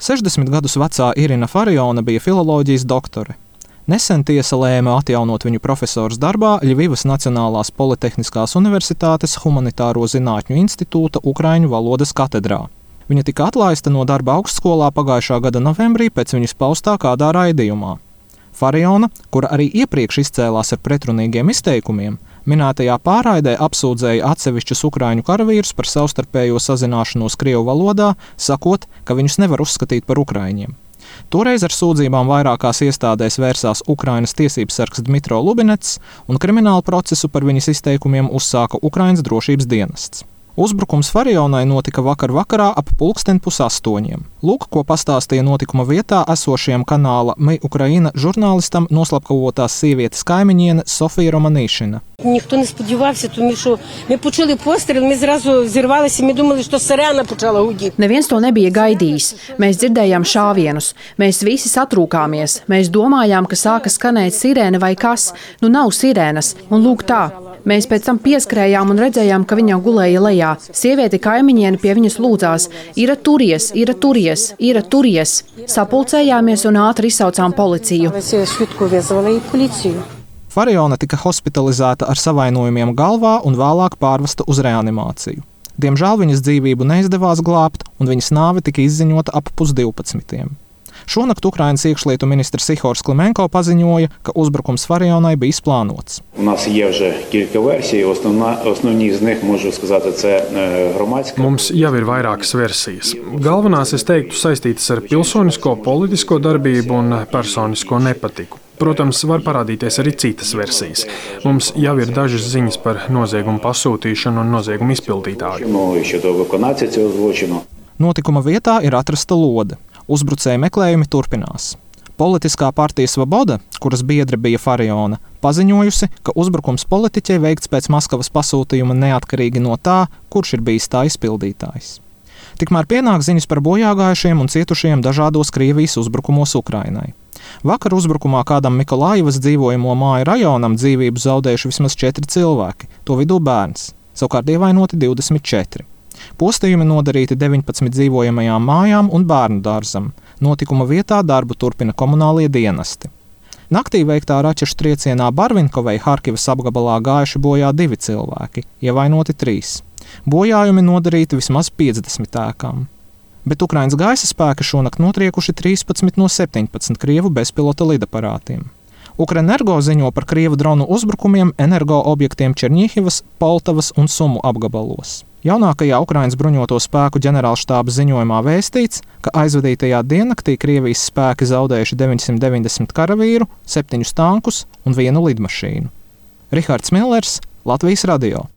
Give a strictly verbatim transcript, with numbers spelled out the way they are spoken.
sešdesmit gadus vecā Irina Fariona bija filoloģijas doktore. Nesen tiesa lēma atjaunot viņu profesors darbā Ļivivas Nacionālās Politehniskās Universitātes Humanitāro zinātņu institūta ukraiņu valodas katedrā. Viņa tika atlaista no darba augstskolā pagājušā gada novembrī pēc viņas paustā kādā raidījumā. Fariona, kura arī iepriekš izcēlās ar pretrunīgiem izteikumiem, minētajā pārraidē apsūdzēja atsevišķus ukraiņu karavīrus par savstarpējo sazināšanos krievu valodā, sakot, ka viņus nevar uzskatīt par ukraiņiem. Toreiz ar sūdzībām vairākās iestādēs vērsās Ukrainas tiesības sargs Dmitro Lubinets, un kriminālu procesu par viņas izteikumiem uzsāka Ukrainas drošības dienests. Uzbrukums Farionai notika vakar vakarā ap pulksten pusastoņiem. Lūk, ko pastāstīja notikuma vietā esošajam kanāla My Ukraina žurnālistam noslapkavotās sievietes kaimiņiene Sofija Романишина. Ніхто не сподівався, тому що ми почули постріл, ми зразу зірвалися, ми думали, що сирена почала гудіти. Neviens to nebija gaidījis. Mēs dzirdējām šāvienus. Mēs visi satrūkāmies. Mēs domājām, ka sāka skanēt sirēna vai kas. Nu nav sirēnas. Un lūk tā. Mēs pēc tam pieskrējām un redzējām, ka viņa gulēja lejā. Sieviete kaimiņiene pie viņas lūdzās: "Ira turies, ira turies, ira turies." Sapulcējāmies un ātri izsaucām policiju. Fariona tika hospitalizēta ar savainojumiem galvā un vēlāk pārvesta uz reanimāciju. Diemžēl viņas dzīvību neizdevās glābt, un viņas nāve tika izziņota ap pusdivpadsmitiem. Šonakt Ukrainas iekšlietu ministrs Ihors Klimenko paziņoja, ka uzbrukums Farionai bija izplānots. Mums jau ir vairākas versijas. Galvenās, es teiktu, saistītas ar pilsonisko, politisko darbību un personisko nepatiku. Protams, var parādīties arī citas versijas. Mums jau ir dažas ziņas par noziegumu pasūtīšanu un noziegumu izpildītāju. Notikuma vietā ir atrasta lode. Uzbrucēju meklējumi turpinās. Politiskā partija Svoboda, kuras biedre bija Fariona, paziņojusi, ka uzbrukums politiķei veikts pēc Maskavas pasūtījuma neatkarīgi no tā, kurš ir bijis tā izpildītājs. Tikmēr pienāk ziņas par bojāgājušiem un cietušiem dažādos Krievijas uzbrukumos Ukrainai. Vakar uzbrukumā kādam Mikolājivas dzīvojamo māju rajonam dzīvību zaudējuši vismaz četri cilvēki, to vidū bērns, savukārt ievainoti divdesmit četri. Postījumi nodarīti deviņpadsmit dzīvojamajām mājām un bērnu dārzam. Notikuma vietā darbu turpina komunālie dienesti. Naktī veiktā raķešu triecienā Barvinkovei Harkivas apgabalā gājuši bojā divi cilvēki, ievainoti trīs. Bojājumi nodarīti vismaz piecdesmit ēkām. Bet Ukrainas gaisa spēki šonakt notriekuši trīspadsmit no septiņpadsmit krievu bezpilota lidaparātiem. Ukrenergo ziņo par krievu dronu uzbrukumiem energo objektiem Černihivas, Poltavas un Sumu apgabalos. Jaunākajā Ukrainas bruņoto spēku ģenerālštāba ziņojumā vēstīts, ka aizvadītajā diennaktī Krievijas spēki zaudējuši deviņsimt deviņdesmit karavīru, septiņus tankus un vienu lidmašīnu. Rihards Millers, Latvijas radio.